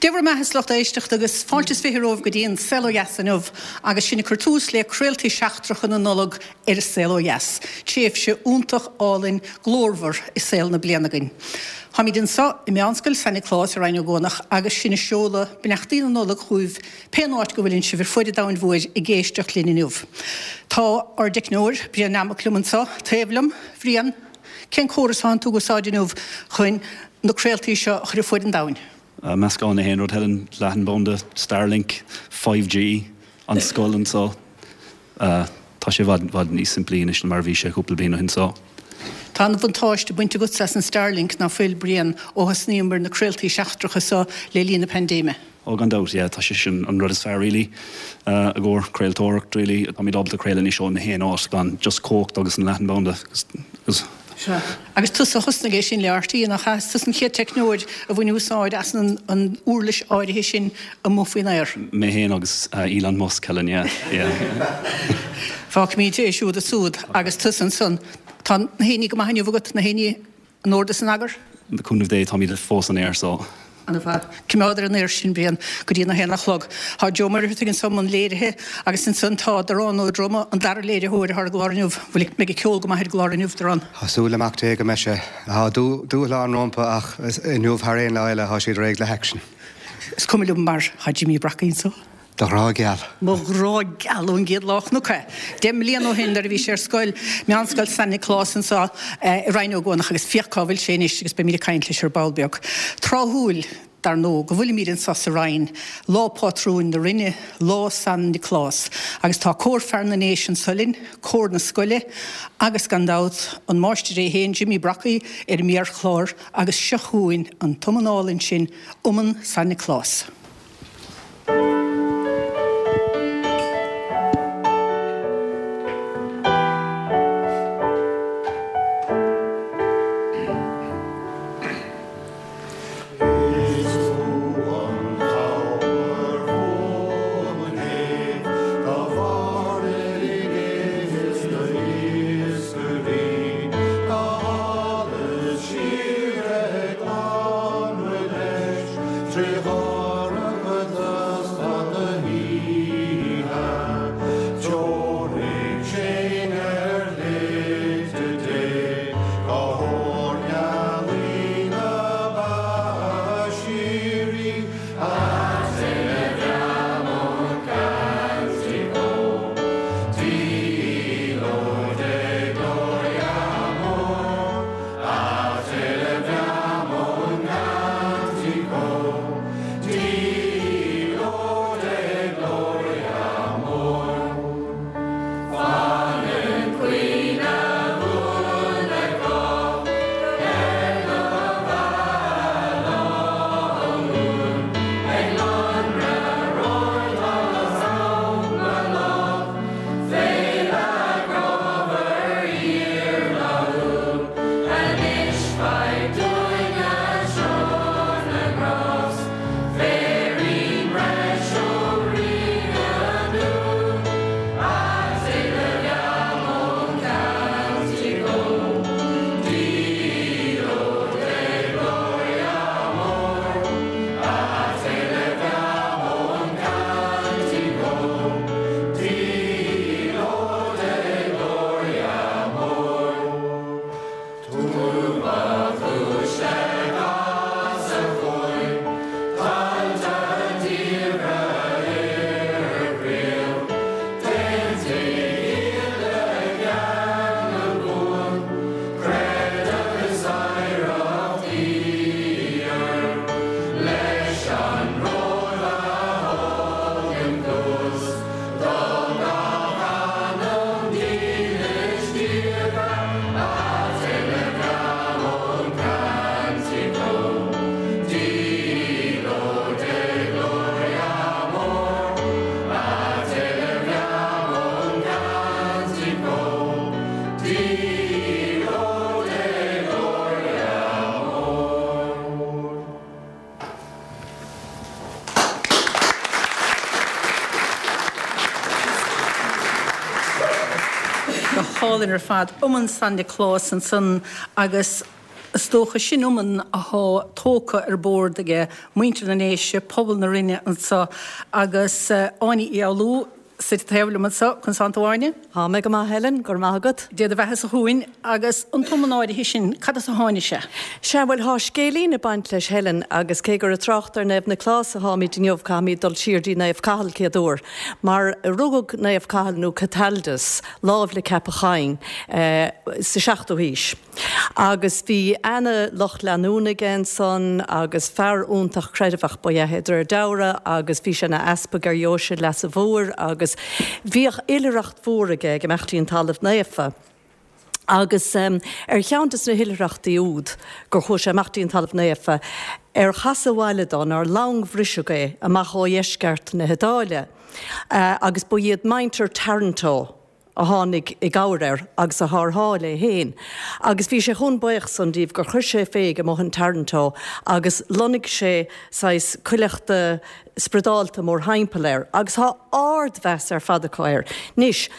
Dé bhur mbeatha a lucht éisteachta agus fáilte is 20 romhaibh go dtí an Saol Ó Dheas inniu agus sinn ag cur tús le craoltaí seachtracha na Nollag ar an Saol Ó Dheas. Tréimhse iontach álainn glórmhar i saol na bliana againn. Táimid anseo i Meánscoil San Nioclás i Rinn Ó gCuanach agus sinn ag seoladh beannachtaí na Nollag chugaibh pén áit go bhfuileann sibh ar fuaid an domhain mhóir ag éisteacht linn inniu. Tá ár dteicneoir, Brian Nammock liom anseo taobh liom. Bhriain, cén córas atánn tú ag úsáid inniu chun na craoltaí seo a chur ar fuaid an domhain? Meascán de aon rud, Helen, leathanbhanda, Starlink, 5G, an scoil anseo. Tá sé i bhfad, bhfad níos simplí anois ná mar a bhí sé cúpla bliain ó shin so. Tá an-bhuntáiste bainte agatsa as an Starlink, ná fuil, Brian, ó thosnaíomar na craoltaí seachtracha seo le linn na paindéime? Ó gan dabht, yeah, tá sé sin an rud is fearr really i gcomhair craoltóireacht really. Táimid ábalta craoladh anois ó na haon áit gan just cumhacht agus an leathanbhanda agus. Sea. Agus tusa a thosnaigh é sin le RTÉ, nach ea? Is tusa an chéad teicneoir a bhain úsáid as an uirlis áirithe sin amuigh faoin aer. Mé féin agus Elon Musk, Helen, yeah, yeah. Fágfaimid é siúd ansúd agus tusa ansan. Tá na haon ní go maith inniu agat, na haon ní In ord is in eagar? Le cúnamh Dé, táimid fós in aer so. Ana-mhaith. Coimeád ar an aer sinn, Brian, go dtí an 1 a chlog. Tá Joe Muircheartaigh anso i mbun léirithe agus ansan tá Darán Ó Droma, an dara léiritheoir atá ar an gclár inniu. Bhfuil, mbeidh an ceol go maith ar an gclár inniu, Darán? Tá súil le Mac Dé go mbeidh sé. Tá dúshlán rompu ach inniu thar aon lá eile tá siad réidh le haicsean. Is cuma liom mar tá Jimí Brockie anso. Do ghrá geal. Mo ghrá geal ón gcéad lá a chonac é. 10 mbliana ó shin nuair a bhí sé ar scoil, Meánscoil San Nioclás anseo i Rinn Ó gCuanach agus féach cá bhfuil sé anois agus beimid ag caint leis ar ball beag. Tráthúil, dar ndóigh, go bhfuilimid anseo sa Rinn, lá pátrúin na Rinne, lá San Nioclás agus tá Cór Fear na nDéise anseo linn, cór na scoile agus gan dabht an máistir é féin, Jimmy Brockie, ar an méarchlár agus seo chugainn an t-iomann álainn sin, Iomann San Nioclás. Is tú an chabhair bhuan do mhairnéalaigh is d'iascairí, do sholas síoraí glanadh leis 'Trí dhorchadas fada na hoíche, Treoraigh sinn ar shlite Dé, Go hór ghealaí na beatha síoraí, A Te Llamo Cantico, Di Lode Gloria Amor, A te leviamo un cantico, Di lode e gloria amor. Fanann cuimhne bhuan ag cách ar do bheatha luan, Ag lonradh rórtha am lá, Féile grámhar fhíorfhlaithiúil, Anois faigh dúinne seo na grást, Féirín breis ó Rí na nDún, A te leviamo un cantico, Di lode gloria amor, A te leviamo un cantico, Di lode gloria amor. Tú ba chúis le gach a chuaigh, tailte diamhra ar gcríoch, D'aontaigh iad le ceangal buan, creideamh is oidhreacht fhíor, leis an Róimh a thugann cluas do gach anam dílis diaga. A te leviamo un cantico, di lode e gloria amor. A te leviamo un cantico, di lode e gloria amor. Go hálainn ar fad. Iomann San Nioclás ansan agus. Is dócha sin iomann athá tógtha ar bord aige muintir na nDéise, pobal na Rinne anso agus Áine Uí Fhoghlú suite taobh liom anso. Conas tánn tú Áine? Tá mé go maith Helen, go raibh maith agat. Dé do bheatha-sa chugainn agus an t-iomann áirithe sin, cad as a tháinig sé? Sea, bhuel thá scéilín ag baint leis Helen agus cé gur ag trácht ar Naomh Nioclás atháimid inniu caithfimid dul siar dtí Naomh Cathal céad uair mar rugadh Naomh Cathal nó Cataldus láimh le Ceapach Choinn sa seachtú haois. Agus bhí ana lucht leanúna aige ansan agus fear iontach creideamhach ba ea é de réir dealraimh agus bhí sé ina easpag ar dheoise Leasa Mhóir agus bhíodh oilithreacht mhór aige ag imeacht dtí an Talamh Naofa. Agus ar cheann des na hoilithreachtaí úd gur chuaigh sé amach dtí an Talamh Naofa, ar chasadh abhaile dó ná ar long bhriseadh é amach ó dheisceart na hIodáile agus ba iad muintir Taranto a tháinig i gcabhair air agus a tharrtháil é féin, agus bhí sé chomh buíoch san díobh gur chuir sé fé amuigh in Taranto agus lonnaigh sé saghas cuileachta spioradálta mórthimpeall air, agus thá ard-mheas ar fad acu air. Anois,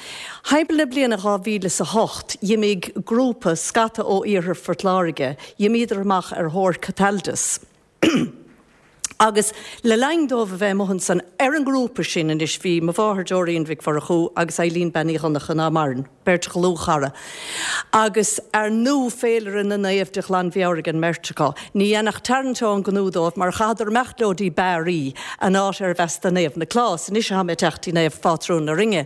thimpeall na bliana 2008, dh'imigh grúpa, scata ó iarthar Phort Láirge, dh'imíodar amach ar thóir Cataldus. Agus le linn dóibh a bheith amuigh ansan, ar an ngrúpa sin anois bhí mo mháthair Doreen Mhic Mhurchú agus Eileen Bean Uí Dhonncha ná maireann, beirt dhlúthchara. Agus ar ndú féilire na naomh de ghlanmheabhair ag an mbeirt acu. Ní dhéanfadh Taranto aon ghnó dóibh mar chaitheadar imeacht leo dtí Bari, an áit arbh as do Naomh Nioclás. Anois atá mé ag teacht dtí naomh phátrún na Rinne.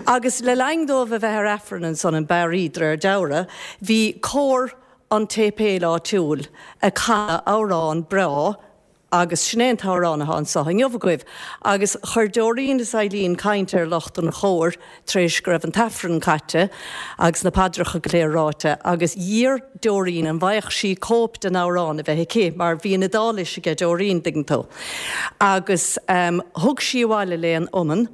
Agus le linn dóibh a bheith ar Aifreann ansan in Bari, de réir dealraimh, bhí cór an tséipéil áitiúil ag canadh amhrán breá agus sin é an t-amhrán atá anso inniu agaibh. Agus chuir Doreen is Eileen caint ar lucht an chóir tar éis go raibh an t-aifreann caite agus na paidreacha go léir ráite agus d'iarr Doreen an bhfaigheadh sí cóip den amhrán a bheith aici mar bhí an Iodáilis aige Doreen, dtuigeann tú. Agus thug sí abhaile léi an iomann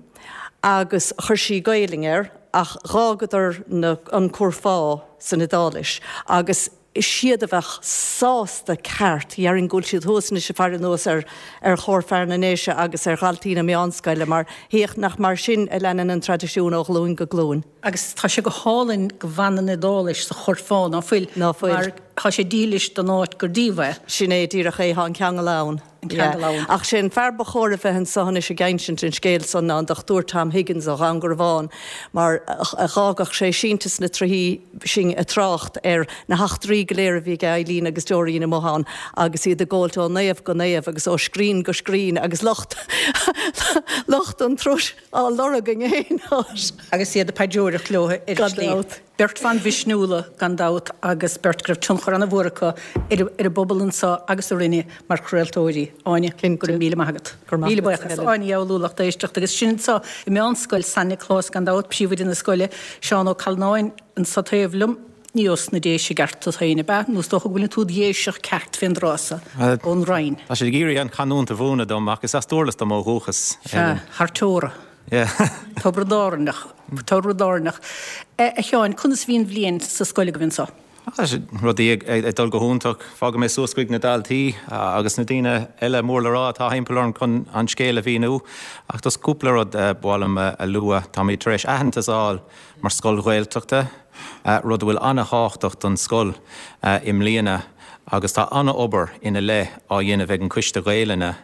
agus chuir sí Gaelainn air ach dh'fhágadar na, an curfá san Iodáilis agus siad a bheadh sásta ceart, dhéarfainn go bhfuil siad thuas anois ag faire anuas ar ar Chór Fear na nDéise agus ar dhaltaí na meánscoile mar féach nach mar sin a leanann an traidisiún ó ghlúin go glúin. Agus tá sé go hálainn go bhfanann an Iodáilis sa churfá, ná fuil? Ná fuil. Mar tá sé dílis don áit gur díobh é. Sin é díreach é, tá an ceangal ann. An ceangal ann. Ach sé an fear ba chóir a bheith anso anois ag insint an scéil san ná an Dr Tom Higgins ó Dhún Garbhán mar dh'fhágadh sé sínte sna trithí sinn ag trácht ar na heachtraí go léir a bhí ag Eileen agus Doreen amuigh ann agus iad ag gabhailt ó naomh go naomh agus ó scrín go scrín agus lucht lucht an turais á lorg in aon áit. Agus iad ag paidreoireacht leo ar an Gan slí. dabht. Beirt bhan mhisniúla gan dabht agus beirt go raibh tionchar ana-mhór acu ar an bpobal anseo agus sa Rinn mar chraoltóirí. Áine, go raibh míle maith agat. Go raibh maith Míle agat, buíochas. Helen. Áine Uí Fhoghlú, lucht éisteachta agus sin anseo i Meánscoil San Nioclás gan dabht, príomhoide na scoile, Seán Ó Callanáin anseo taobh liom. Ní ós na Déise i gceart tú féin, ab ea? Nó is dócha go bhfuileann tú id Dhéiseach ceart fén dtráth so, ón Rinn. Tá siad ag iarraidh an chanúint a mhúineadh dom ach is as Dúrlas dom ó dhúchas. Sea, thar teora. Yeah. Tiobraid Árannach. Tiobraid Árannach. A Sheáin, conas a bhí an bhliain sa scoil agaibh anso? Tá rudaí ag dul go hiontach. Fágfaidh mé suas chuig na daltaí agus na daoine eile mór le rá atá thimpeall orm chun an scéal a mhíniú. Ach just cúpla rud ba mhaith liom a lua. Táimid tar éis aitheantas a fháil mar scoil Ghaeltachta, rud a bhfuil an-thábhachtach don scoil i mbliana agus tá an-obair ina leith á dhéanamh ag an Coiste Gaelainne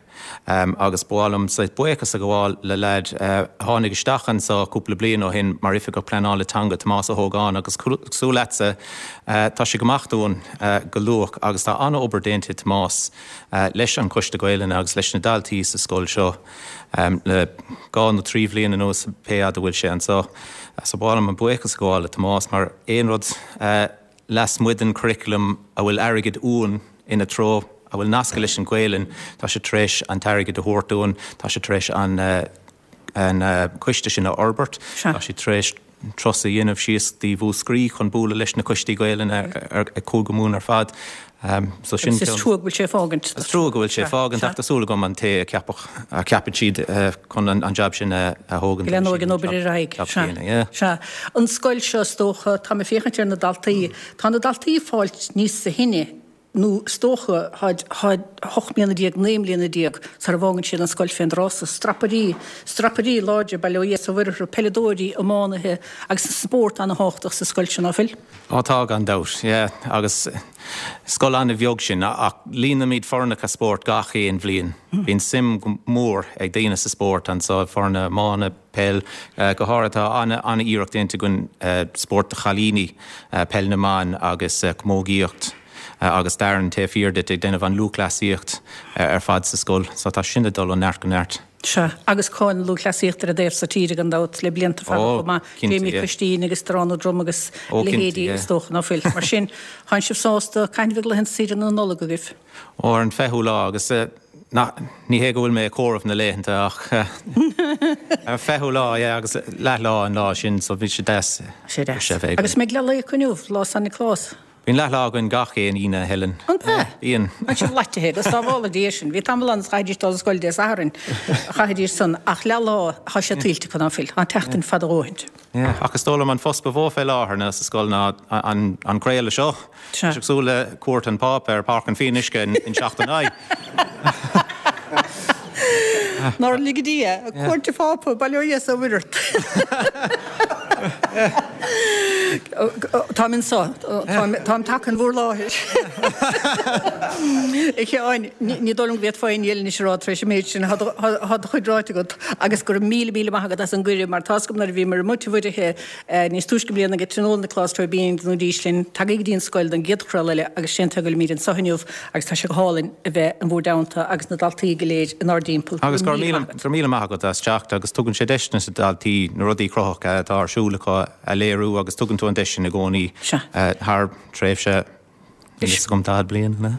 agus ba mhaith liom saghas buíochas a ghabháil le leaid a tháinig isteach anseo cúpla bliain ó shin mar Oifigeach Pleanála Teanga, Tomás Ó hÓgáin agus cosúil leatsa tá sé ag imeacht uainn go luath agus tá an-obair déanta ag Tomás leis an Choiste Gaelainne agus leis na daltaí sa scoil seo. Le dhá nó trí bhliain anuas, pé fhad a bhfuil sé anseo. So ba mhaith liom an buíochas a ghabháil le Tomás mar aon rud lasmuigh den churriculum a bhfuil airgead uainn ina treo, a bhfuil nasctha leis an Ghaelainn, tá sé tar éis an t-airgead a thabhairt dúinn, tá sé tar éis an an coiste sin a fhorbairt, tá sé tar éis turas a dhéanamh síos dtí Mhúscraí chun bualadh leis na coistí Gaelainne ar Chúige Mumhan ar fad. So sin Agus is trua go bhfuil sé ag fágaint. Is trua go bhfuil sé ag fágaint ach tá súil agam an té a ceapadh, a ceapann siad chun an jab sin a thógaint. Go leanóidh an obair ar aghaidh. Sea, sea. An scoil seo is dócha, tá mé ag féachaint ar na daltaí, tá na daltaí ag fáilt níos sine. nó is dócha, tháid, tháid 18 mbliana, 19 mbliana sara bhfágann siad an scoil fén dtráth so. Strapairí, strapairí láidre, bail ó Dhia is ó Mhuire orthu, peileadóirí, iománaithe agus an spórt ana-thábhachtach sa scoil seo, ná fuil? Ó tá, gan dabht, yeah, agus scoil an-bheag sinn ach líonaimid foirneacha spóirt gach aon bhliain. Bíonn suim mhór ag daoine sa spórt anso, foirne iomána, peil, go háirithe. Tá an-iarracht déanta againn spórt do chailíní, peil na mban agus camógaíocht agus Darren taobh thiar duit ag déanamh an lúthchleasaíocht ar fad sa scoil. So tá sin ag dul ó neart go neart. Sea, agus cáil na lúthchleasaíochta ar an dtaobh so tíre gan dabht le blianta fada chomh maith, Jamie Cristín agus Darán Ó Drom agus a leithéidí is dócha, ná fuil? Mar sin, tánn sibh sásta, cathain a bheidh laethanta saoire na Nollag agaibh? Ó, ar an 20ú lá agus ná, ní hé go bhfuil mé ag comhaireamh na laethanta ach ar an 20ú lá, yeah, agus leathlá an lá sin so bhí sé deas Sé deas. a bheith againn. Agus an mbeidh leathlae acu inniu, lá San Nioclás? Bíonn leathlá againn gach aon Aoine, a Helen. An ea? Bíonn. Tá sibh loitithe, go sábhála Dia sinn. Bhí tamall ann is chaithfidís dul ar scoil Dé Sathairn, chaithfidís san, ach leathlá, tá sé tuillte acu, ná fuil? Tá an tseachtain fada a dhóthaint. Yeah, ach is dóigh liom an post ba mhó fé láthair ná sa scoil ná an craoladh seo. Tá sé cosúil le cuairt an Phápa ar Páirc an Fhionnuisce in 79. Nár lige Dia cuairt an Phápa, bail ó Dhia is ó Mhuire ort. Táim anso, táim tagtha in bhur láthair. A Sheáin, ní dóigh liom go bhféadfá aon ní eile anois a rá tar éis an méid sin, tá do chuid ráite agat agus go raibh míle míle maith agat as an gcuireadh mar tá's agam nuair a bhíomar amuigh Tigh Mhuirithe Níos túisce i mbliana ag Tionól Nioclás Tóibín d'fhanaidís linn, tagaigí go dtí an scoil don gcéad chraoladh eile agus sé an tuige go bhfuilimid anseo inniu agus tá sé go hálainn a bheith in bhur dteannta agus na daltaí go léir inár dtimpeall. Agus go raibh míle maith agat as teacht agus tugann sé deis do na daltaí na rudaí cruthaitheacha atá ar siúl acu a léiriú agus tugann tú an deis sin i gcónaí thar tréimhse Níl fhios agam 40 bliain, an ea?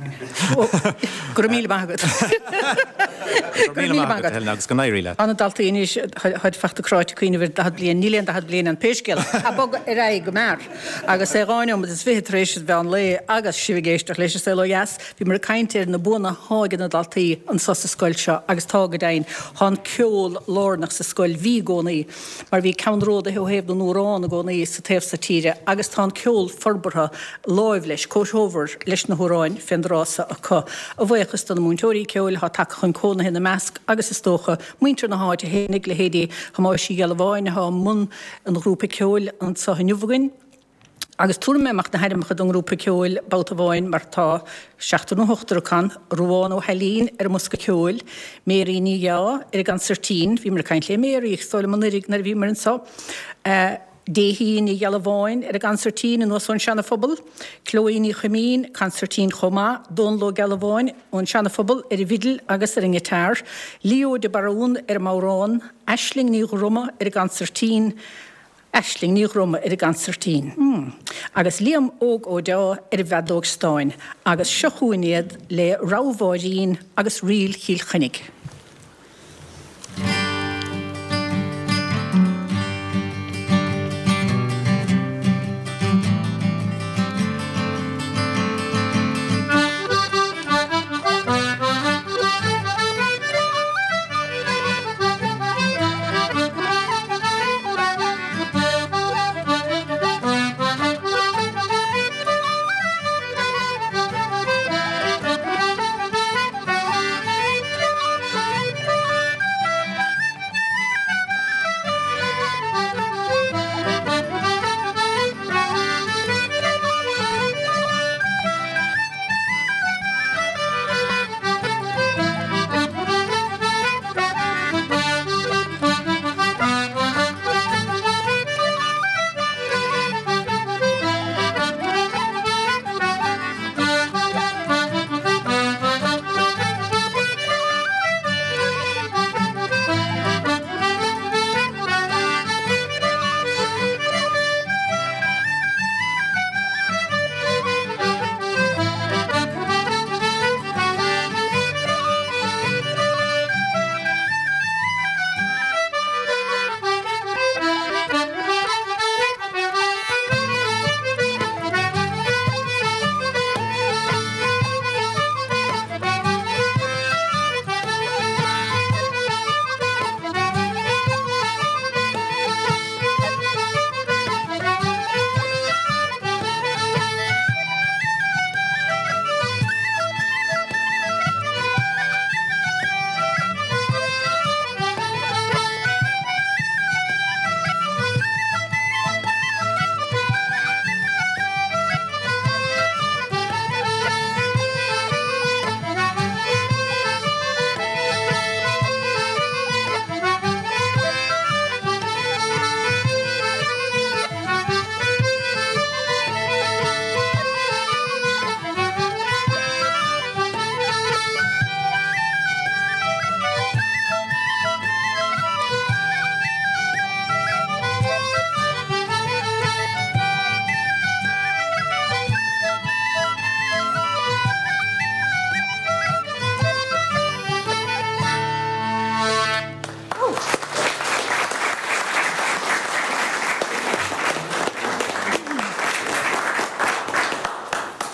Go raibh míle maith agat. Go raibh míle maith agat, Helen, agus go n-éirí leat. Tá na daltaí anois, táid fachta cráite ag cuimhneamh ar 40 bliain. Níl aon 40 bliain ann pé scéal é. Ag bogadh ar aghaidh go mear. Agus é 12 neomat is 20 tar éis an mheán lae agus sibh ag éisteacht leis An Saol Ó Dheas, bhíomar ag caint ar na buanna athá ag na daltaí anso sa scoil seo agus tá go deimhin. Tá an ceol lárnach sa scoil, bhí i gcónaí. mar bhí ceannródaithe ó thaobh na n-amhrán i gcónaí sa taobh so tíre agus tá an ceol forbartha láimh leis, comhthreomhar leis na hamhráin fén dtráth so acu. A bhuíochas do na múinteoirí ceoil atá tagtha chun cónaithe ina measc agus is dócha muintir na háite fhéinig, leithéidí Thomáis Uí Ghealbháin atá i mbun an ghrúpa ceoil anso inniu againn. Agus tabharfaidh mé amach na hainmneacha don ngrúpa ceoil babhta amháin mar tá seachtar nó ochtar acu ann, Ruadhán Ó hAilín ar an mbosca ceoil, Mary Ní Dheá ar an gconsairtín, bhíomar ag caint le Mary is dóigh liom anuraidh nuair a bhíomar anseo, Déithí Ní Ghealbháin ar an gconsairtín anuas ón Seana Phobal, Chloe Ní Chuimín, consairtín chomh maith, Dónal Ó Gealbháin ón Seana Phobal ar an bhfidil agus ar an ngiotár, Leo de Barún ar an mbodhrán, Aisling Ní Dhroma ar an gconsairtín, Aisling Ní Dhroma ar an gconsairtín agus Liam Óg Ó Deá ar an bhfeadóg stáin agus seo chugainn iad le Rogha Mháirín agus Ríl Chill Chainnigh.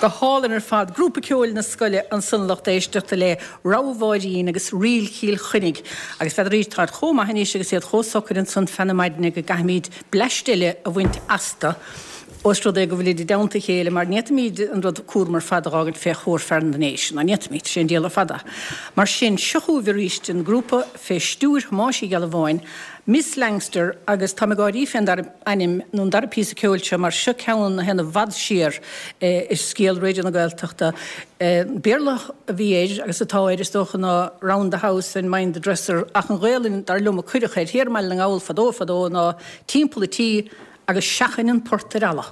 Go hálainn ar fad. Grúpa ceoil na scoile ansan a lucht éisteachta le Rogha Mháirín agus Ríl Chill Chainnigh. Agus n'fheadar táid chomh maith anois agus iad chomh socair ansan feadh na maidine go gcaithfimid bleaist eile a bhaint astu os rud é go bhfuilid i dteannta a chéile mar ní fhéadfaimid an rud cúram ar fad a dh'fhágaint fé chomhair fear na ndéise, ná ní fhéadfaimid, sé an diabhal ar fad é. Mar sin, seo chugaibh arís an grúpa fé stiúir Thomáis Uí Ghealbháin, Miss Langster agus táim ag gáirí fén dara ainm nó an dara píosa ceoil seo mar seo ceann a théann i bhfad siar i scéal Raidió na Gaeltachta. Béarla a bhí air agus atá air is dócha ná Round the House and Mind the Dresser ach an Ghaelainn dar liom a cuireadh air thiar i mBaile na nGall fadó fadó ná Timpeall a' Tí agus Seachain an Port ar Eala.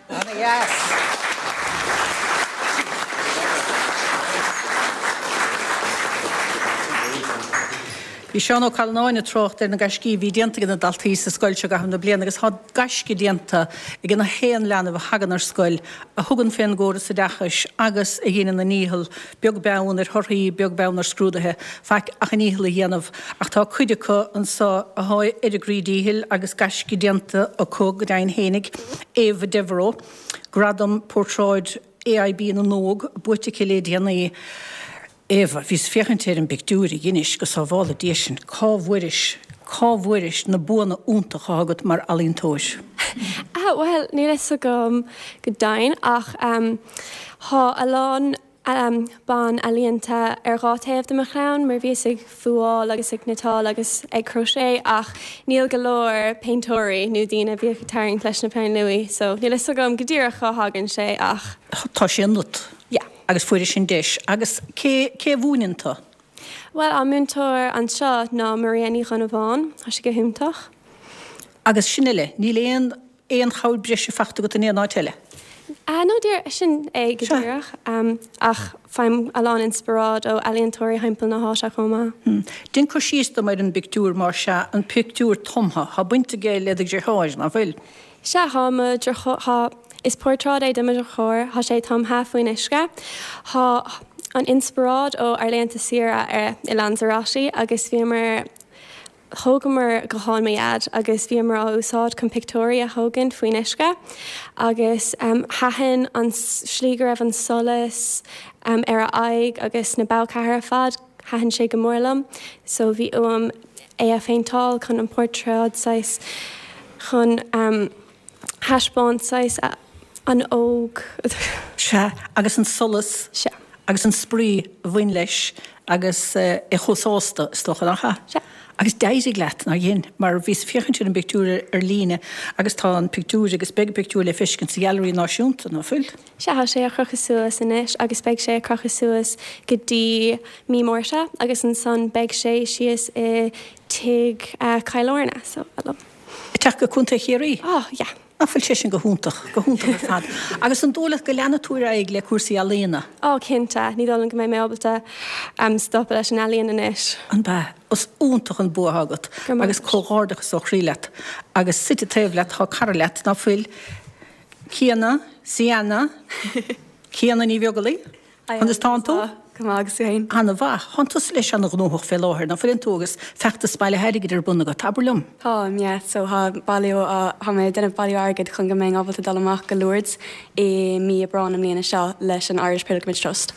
Ana-dheas. Bhí Seán Ó Callanáin ag trácht ar na gaiscí a bhí déanta ag na daltaí sa scoil seo i gcaitheamh na bliana agus tá gaisce déanta ag na haon leanbh a thagann ar scoil, a thugann fén gcóras oideachais agus a dheineann a ndícheall, beag beann ar thorthaí, beag beann ar scrúduithe, faic ach a ndícheall a dhéanamh. Ach tá cuid acu anso athá ar a gcroí díchill agus gaisce déanta acu go deimhin fhéinig. Ava Devereux, Gradam Portráid AIB na nÓg buaite aici le déanaí. Ava, bhíos féachaint ar an bpictiúr a dheinis, go sábhála Dia sinn, cá bhfuairis, cá bhfuairis na buanna iontacha atá agat mar ealaíontóir? Ah, bhuel, níl fhios agam go deimhin ach thá a lán ban ealaíonta ar dhá taobh de mo chlann mar bhíos ag fuáil agus ag cniotáil agus ag crochet ach níl go leor péinteoirí nó daoine a bhíodh ag tarraingt leis na peinn luaidhe so níl fhios agam go díreach cá thagann sé ach. Tá sé ionat. Yeah. Agus fuairis an deis. Agus cé, cé a mhúineann tú? Bhuel, an múinteoir anseo ná Maria Ní Dhonnabháin. Tá sí go hiontach. Agus sin uile? Níl aon, aon chabhair breise faighte agat in aon áit eile? Ah, no, díreach, sin é go Sea. díreach. Ach faighim a lán inspioráid ó ealaíontóirí thimpeall na háite chomh maith. Hmm. Déan cur síos dom ar an bpictiúr, más ea, an pictiúr tumtha. Tá baint aige le do dheartháir, nach bhfuil? Sea, thá mo dheartháir, is portráid é de mo dheartháir, thá sé tumtha faoin uisce. Thá an inspioráid ó ár laethanta saoire ar i Lanzarote agus bhíomar, thógamar guthán mo dhaid agus bhíomar á úsáid chun pictiúirí a thógaint faoin uisce agus thaitin an slí go raibh an solas ar a aghaidh agus na bogha ar fad. Thaitin sé go mór liom so bhí uaim é a phéinteáil chun an portráid saghas chun thaispeáint saghas an óg. Sea, agus an solas. Sea. Agus an spraoi a bhain leis agus é chomh sásta, is dócha, nach ea? Sea. Agus d'éirigh leat, nár dhein? Mar bhíos ag féachaint ar an bpictiúr ar líne agus tá an pictiúr agus beidh an pictiúr le feiscint sa Ghailearaí Náisiúnta, ná fuil? Sea, tá sé á chrochadh suas anois agus beidh sé á chrochadh suas go dtí mí Márta agus ansan beidh sé síos i Tigh Chill Airne, so, liom. Ag teacht go Contae Chiarraí? Oh, yeah. Nach bhfuil sé sin go hiontach, go hiontach ar fad. Agus an dóigh leat go leanfaidh tú ar aghaidh le cúrsaí ealaíona? Oh, cinnte. Ní dóigh liom go mbeidh mé ábalta stopadh leis an ealaíon anois. An b'ea? Is iontach an bua atá agat agus comhghairdeachas ó chroí leat. Agus suite taobh leat tá cara leat, ná fuil? Ciana, Sienna, Ciana Ní Bheaglaoí? Conas tánn tú? Go maith, agus tú fhéin? Ana-mhaith. Thánn tusa leis ana-ghnóthach fé láthair, ná fuileann tú, agus feachtas bailithe airgid ar bun agat. Abair liom. Táim, yeah. So thá bailiú á, thá mé ag déanamh bailiú airgid chun go mbeinn ábalta dul amach go Lourdes i mí Aibreán na mbliana seo leis an Irish Pilgrimage Trust.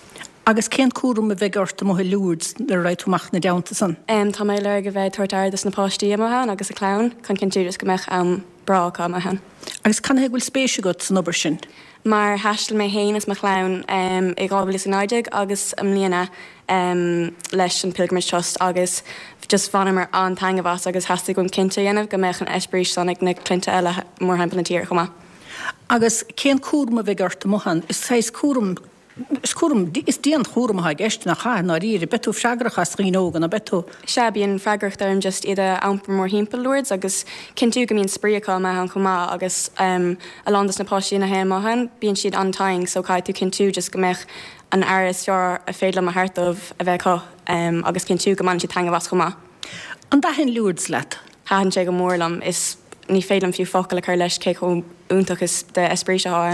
Agus cén cúram a bheidh ort amuigh i Lourdes nuair a raghaidh tú amach ina dteannta san? Em, tá mé ag lorg a bheith ag tabhairt aire dos na páistí amuigh ann agus a clann chun cinntiú just go mbeadh am breá acu amuigh ann. Agus canathaobh go bhfuil spéis agat san obair sin? Mar thaistil mé féin is mo chlann i 2019 agus i mbliana leis an Pilgrimage Trust agus just bhaineamar an-taitneamh as agus theastaigh uaim cinnte a dhéanamh go mbeadh an eispéiris san ag na clainne eile mórthimpeall na tíre chomh maith. Agus cén cúram a bheidh ort amuigh ann? Is saghas cúram Is cúram, is dianchúram atá i gceist, nach ea, i ndáiríre. Beidh tú freagrach as dhaoine óga, ná beidh tú? Sea, bíonn freagracht orm just iad a iompar mórthimpeall Lourdes agus cinntiú go mbíonn spraoi acu amuigh ann chomh maith agus a lán dos na páistí a théann amach ann, bíonn siad an-tinn so caithfidh tú cinntiú just go mbeadh an aire is fearr a féidir liom a thabhairt dóibh a bheith acu agus cinntiú go mbaineann siad taitneamh as chomh maith. An dtaithin Lourdes leat? Thaitin sé go mór liom. Is ní féidir liom fiú focal a chur leis cé chomh iontach is d'eispéiris atá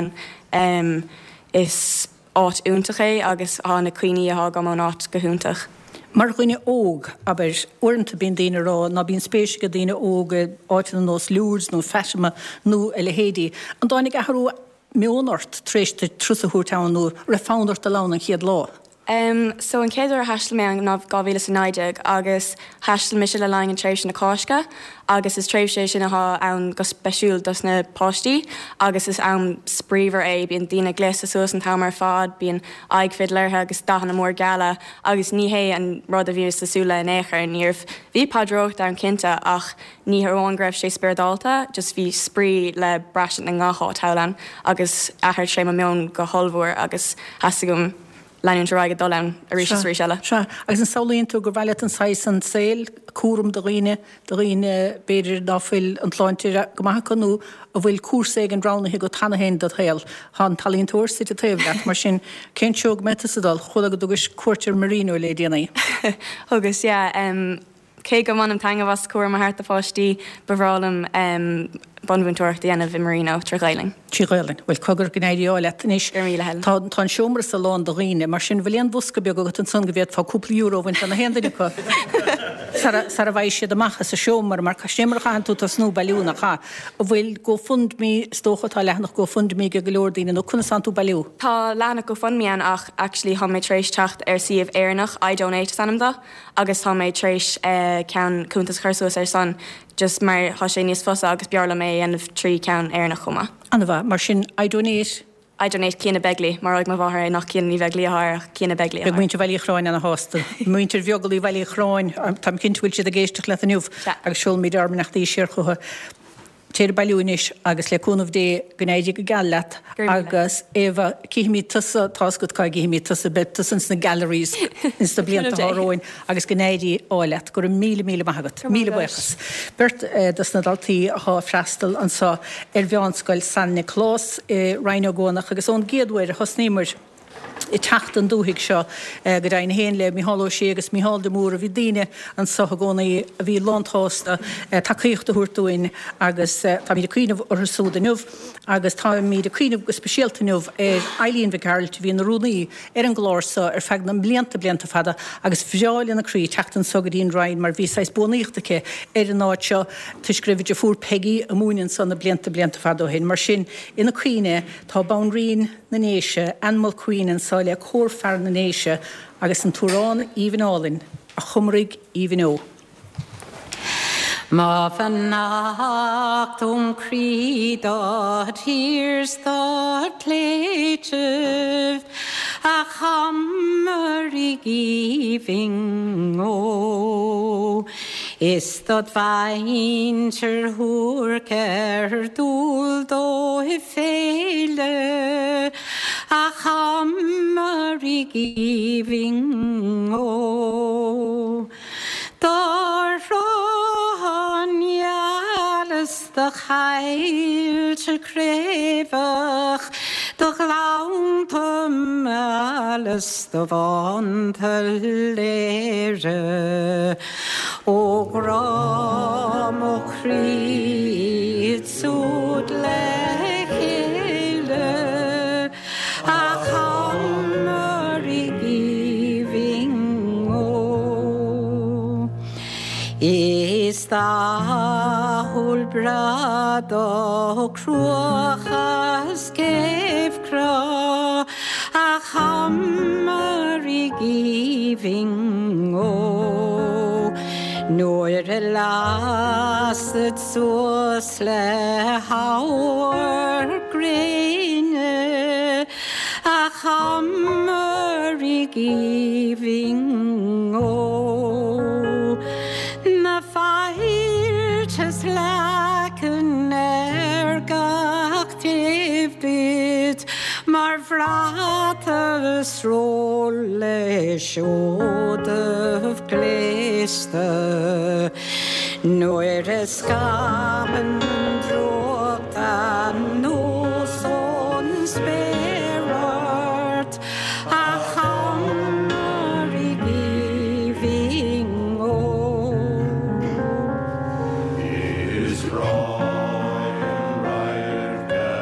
ann. Is áit iontach é agus thá na cuimhní athá agam ón áit go hiontach. Mar dhuine óg, abair, uaireanta bíonn daoine ag rá ná bíonn spéis ag daoine óga i áiteanna ar nós Lourdes nó Fatima nó a leithéidí. An dtáinig athrú meoin ort tar éis duit turas a thabhairt ann nó raibh fonn ort dul ann an chéad lá? Em, so an chéad uair a thaistil mé ann ná 2019 agus thaistil mise le linn an tréimhse na Cásca agus is tréimhse é sin athá ann go speisiúil dos na páistí agus is am spraoimhar é, bíonn daoine gléasta suas an t-am ar fad, bíonn aghaidh fidil orthu agus dathanna mór geala agus ní hé an rud a bhíos ag súil le in aon chor, ní raibh, bhí paidreoireacht ann cinnte ach ní hamháin go raibh sé spioradálta, just bhí spraoi le braistint i ngach áit thall ann agus athraigh sé mo meon go hollmhór agus theastaigh uaim leanúint ar aghaidh ag dul ann arís is arís eile. Sea, agus an samhlaíonn tú gur mhaith leat an saghas san saoil, cúram do dhaoine, do dhaoine b'fhéidir ná fuil an tsláinte go maith acu nó a bhfuil cúrsa éigin roghnaithe agat cheana féin dod shaol. Tá an t-ealaíontóir suite taobh leat, mar sin cén treo go mbeidh tusa ag dul? Chuala go dtugais cuairt ar Marino le déanaí. Thugas, yeah. Cé go mbainim taitneamh as cúram a thabhairt do pháistí, ba bhreá liom bunmhúinteoireacht a dhéanamh i Marino trí Ghaelainn. Trí Ghaelainn. Bhuel, cogar go n-éirí ádh leat anois. Go raibh míle, Helen. Tá tá an seomra so lán de dhaoine, mar sin bhfuil aon bhosca beag agat ansan go bhféadfá cúpla euro a bhaint de na haon duine acu sara sara bhfaighidh siad amach as an seomra, mar sin é mar a chaitheann tú tosnú ag bailiú, nach ea? An bhfuil GoFundMe, is dócha tá leathanach GoFundMe ag go leor daoine, nó conas tánn tú ag bailiú? Tá leathanach GoFundMe ann ach actually tá mé tar éis teacht ar suíomh Éireannach, iDonate is ainm dó. agus tá mé tar éis ceann cuntas a chur suas ar san just mar tá sé níos fusa agus b'fhearr liom é a dhéanamh trí ceann Éireannach chomh maith. An-mhaith. Mar sin, iDonate. iDonate Ciana Begley, maróidh mo mháthair é nach Ciana Ní Bheaglaoi atá air ach Ciana Begley atá Beidh air. muintir Bhaile Uí Chorráin ana-shásta. Muintir Bheaglaoi Bhaile Uí Chorráin, táim cinnte go bhfuil siad ag éisteacht leat inniu Sea. agus seolfaimid ár mbeannachtaí siar chucu. Téir ag bailiú anois agus le cúnamh Dé go n-éirí go geal leat agus Éabha cífimid tusa, tá's agat cá gcífimid tusa, beidh tusa ins na galleries ins na blianta atá romhainn agus go n-éirí ádh leat. Go raibh míle míle maith agat. Míle buíochas. Beirt dos na daltaí athá ag freastal anso ar Mheánscoil San Nioclás i Rinn Ó gCuanach agus ón gcéad uair a thosnaíomair ag teacht don dúthaigh seo, go deimhin féin le Mícheál Ó Sé agus Mícheál de Mórdha. Bhí daoine anso i gcónaí a bhí lántshásta tacaíocht a thabhairt dúinn agus táimid ag cuimhneamh orthu súd inniu agus táimid ag cuimhneamh go speisialta inniu ar Eileen Mhic Gearailt a bhí ina rúnaí ar an gclár so ar feadh na mblianta, blianta fada agus bhreá lena croí teacht anso go dtí an Rinn mar bhí saghas buanaíocht aici ar an áit seo toisc go raibh a deirfiúr Peigí ag múineadh anso na blianta, blianta fada ó shin. Mar sin, ina cuimhne tá Banríon na nDéise, Ann Mulqueen anso le Cór Fear na nDéise agus an t-amhrán aoibhinn álainn, A Chomaraigh Aoibhinn Ó. Mo bheannacht óm chroí do thír 's do chléitibh, a Chomaraigh aoibhinn ó. Is dod mhuintir shuairc ar dual dóibh féile, A Chomaraigh aoibhinn ó. Do shrutháin gheala 's do choillte craobhach, Do ghleannta meala 's do bhánta léire, Ó ghrá mo chroí iad súd le chéile, A Chomaraigh aoibhinn ó. Is dathúil breá do chruacha 's céibh-chreá, A Chomaraigh aoibhinn ó. Nuair a lasad suas le hamharc gréine, A Chomaraigh aoibhinn ó. Na faillte 's leacain ar gach taobh duit mar bhrat is sról le seodaibh gléasta nuair a scaipeann an drúcht anuas ón spéir ort, a Chomaraigh aoibhinn ó. Is breá an radharc a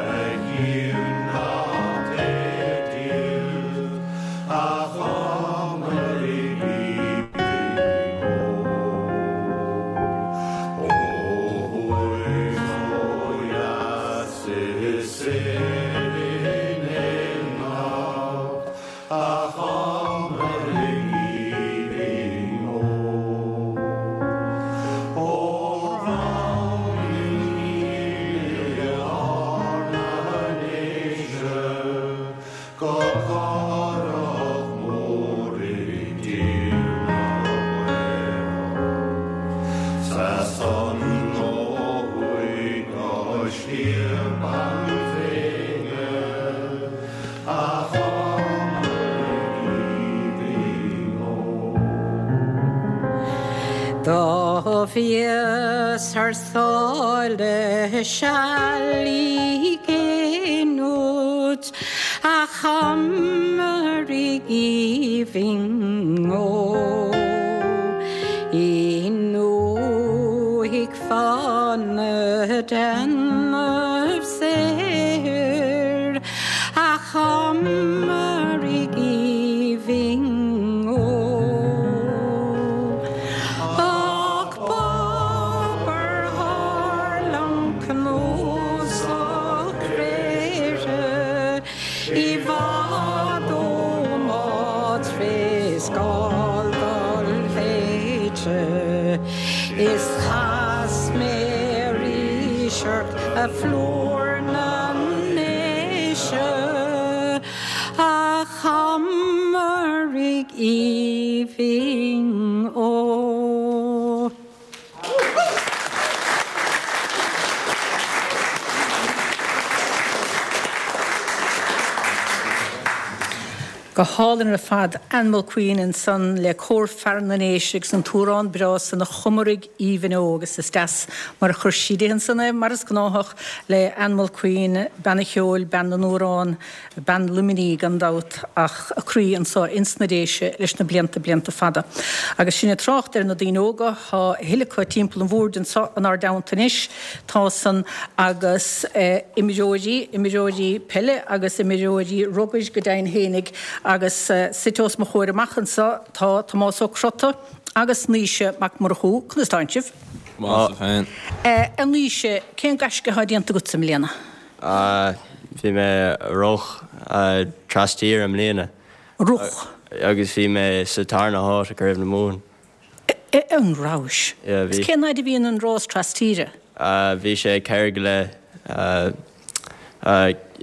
chiúin nach é díot, a Chomaraigh aoibhinn ó. Ó thuaidh 's ó dheas is soir in éineacht, a Chomaraigh aoibhinn ó. Ó Ghleann Fhíona na nDéise go Carrach Mór i dTír na gCaorach. 'S as san ó thuaidh go Sliabh an Bhéinne, a Chomaraigh aoibhinn ó. Do bhíos thar sáile seal i gcéin uait, A Chomaraigh aoibhinn ó. I ndúthaigh fána déanamh saothair, A Chomaraigh aoibhinn ó. Ach b'obair thar liom cnuasach cléire i bhfad ó mo thréarscáil doléite is chas mé arís ort a phlúr na nDéise a Chomaraigh aoibhinn ó. Go hálainn ar fad, Ann Mulqueen ansan le Cór Fearann na nDéise agus an t-amhrán breá san A Chomaraigh Aoibhinn Ó agus is deas mar a chuir sí di ansan é, mar is gnáthach le Ann Mulqueen, bean an cheoil, bean na n-amhrán. Bean Luimnigh gan dabht ach a croí anso ins na Déise leis na blianta, blianta fada. Agus sinn ag trácht ar na daoine óga, tá a thuilleadh acu timpeall an bhoird anso inár dteannta anois. Tá san agus imreoirí, imreoirí peile agus imreoirí rugair go deimhin fhéinig agus suite os mo chomhair amach anso tá Tomás Ó Crota agus Naoise Mac Murchú. Conas tánn sibh? Go maith féin. A Naoise, cén gaisce atá déanta agatsa i mbliana? Bhí mé ag rith tras-tíre i mbliana. Rith. Agus bhí mé sa tarna háit i gCraobh na Mumhan. An rabhais? Yeah, bhí. Is cén fhaid a bhíonn an rás tras-tíre? Bhí sé 4 go leith,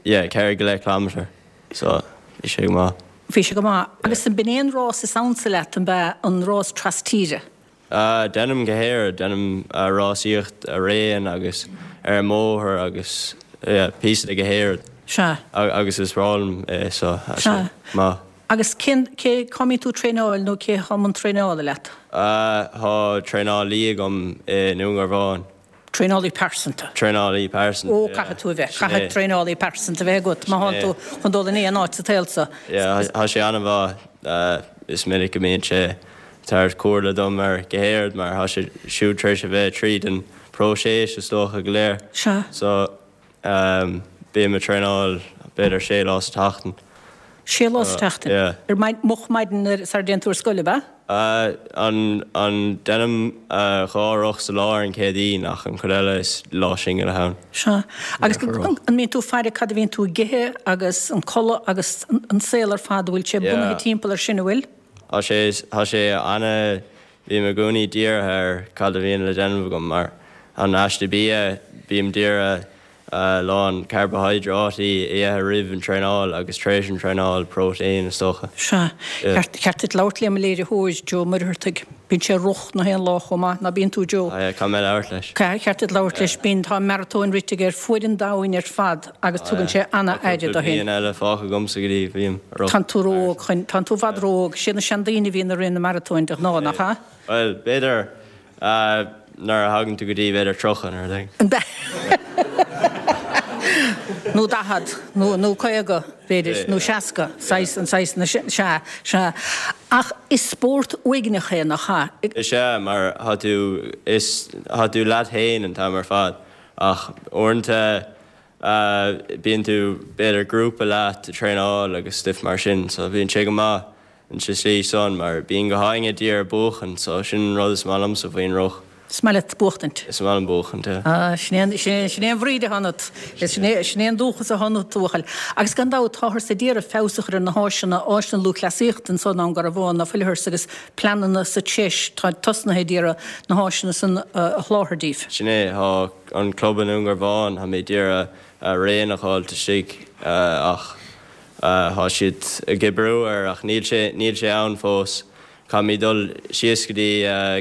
yeah, 4 go leith kilometre, so bhí sé go maith. Bhí sé go maith. Agus an b'in é an rás is ansa leat, an b'ea, an rás tras-tíre? Déanaim gach aon rud, déanaim rásaíocht araon agus ar an mbóthar agus yeah píosa de gach aon rud. Sea. Agus is breá liom é so tá sé maith. Agus cén, cé, cá mbíonn tú ag traenáil nó cé thá i mbun traenála leat? Tá traenálaí agam i nDún Garbhán. Traenálaí pearsanta. Traenálaí pearsanta, Ó, caithfidh tú a bheith, caithfidh traenálaí pearsanta a bheith agat má thánn tú chun dul in aon áit sa tsaol so. Yeah, thá sé an-mhaith. Is minic go mbíonn sé ag tabhairt comhairle dom ar gach aon rud mar thá sé siúd tar éis a bheith tríd an próiseas is dócha go léir. Sea. So, Bím ag traenáil b'fhéidir sé lá sa tseachtain. Sé lá sa tseachtain? Yeah. Ar maidin, moch maidin nuair, sara dtéann tú ar scoil, ab ea? An, an, déanaim dhá roth sa lá ar an Chéadaoin ach an chuid eile is lá singil atá ann. Sea. Agus an mbíonn tú ag faire cad a bhíonn tú ag ithe agus an codladh agus an saol ar fad, an bhfuil sé bunaithe timpeall ar sin, an bhfuil? Tá sé, tá sé ana, bím i gcónaí dírithe ar cad a bhíonn le déanamh agam mar an aiste bia, bím dírithe a lán carbaihiodráití a ithe roimh an traenáil agus tar éis an traenáil, próitéin is dócha. Sea. Cheart duit labhairt le mo léiritheoir, Joe Muircheartaigh. Bíonn sé ag rith na haon lá chomh maith, ná bíonn tú, Joe? Ah yeah, caithfidh mé labhairt leis. Cheart duit labhairt leis. Bíonn, tá maratóin rite aige ar fuaid an domhain ar fad agus tugann sé ana-aire dó féin. Tá cúpla bliain eile fágtha agamsa go dtí bhím ag rith. Tánn tú ró-óg chun, tánn tú i bhfad ró-óg. Siad na seandaoine a bhíonn ag rith na maratóin de ghnáth, nach ea? Bhuel, b'fhéidir nuair a thagann tú go dtí b'fhéidir 30 nó rud éigin. Nó 40, nó, nó 50, b'fhéidir, nó 60, saghas, an saghas, na, sea, sea. Ach is spórt uaigneach é, nach ea? Is ea, mar thá tú, is, thá tú leat féin an t-am ar fad. Ach uaireanta bíonn tú, b'fhéidir grúpa leat ag traenáil agus stuif mar sin, so bíonn sé go maith in sa slí san mar bíonn gach éinne d'iarraidh buachan so sin an rud is maith liomsa faoin roth. Is maith leat buachtaint. Is maith liom buachaint, yeah. Ah, sin é an, sin é, sin é an bhríd atá ionat. Sin é, sin é an dúchas atá ionat, a bhuachaill. Agus gan dabht, táthar ag iarraidh feabhas a chur ar na háiseanna, áiseanna lúthchleasaíochta anso i nDún Garbhán, ná fuilthear agus pleananna sa treis, tá tosnaithe ag iarraidh na háiseanna san a sholáthar díbh. Sin é, tá an club i nDún Garbhán, tá mé d'iarraidh raon a dh'fháilt istigh ach Thá siad ag oibriú air ach níl sé, níl sé ann fós. Caithfimid dul síos go dtí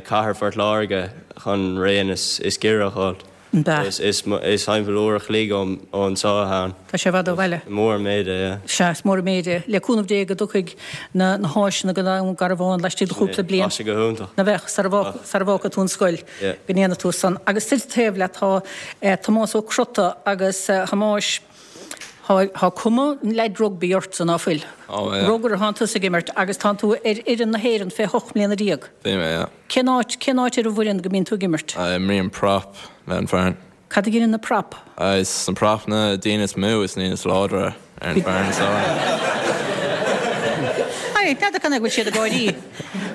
cathair Phort Láirge chun raon is, is giorra a dh'fháilt. An b'ea? Is, is, is timpeall uair a chloig ó, ó anso atá ann. Tá sé i bhfad ó bhaile. Mór an méid é, yeah. Sea, is mór an méid é. Le cúnamh Dé go dtiocfaidh na, na háiseanna go Dún Garbhán laistigh de chúpla bliain. Bheadh sé go hiontach. Nach mbeadh, sara bhfágfaidh, sara bhfágfaidh tú an scoil, go ndéanfaidh tú san. Agus suite taobh leat tá Tomás Ó Crota agus a Thomáis, Thá cuma an leaid rugbaí ortsa, ná fuil? Tá, yeah. Rugar atánn tusa ag imirt agus tánn tú ar fhoireann na hÉireann fé 18 mbliana. Bhí mé, yeah. Cén áit, cén áit ar an bhfoireann go mbíonn tú ag imirt? Imrím prop le an foireann. Cad a dheineann na prop? Is na prop na daoine is mó is na daoine is láidre ar an foireann is dóigh. Aye, n'fheadar cén fáth go bhfuil siad ag gáirí.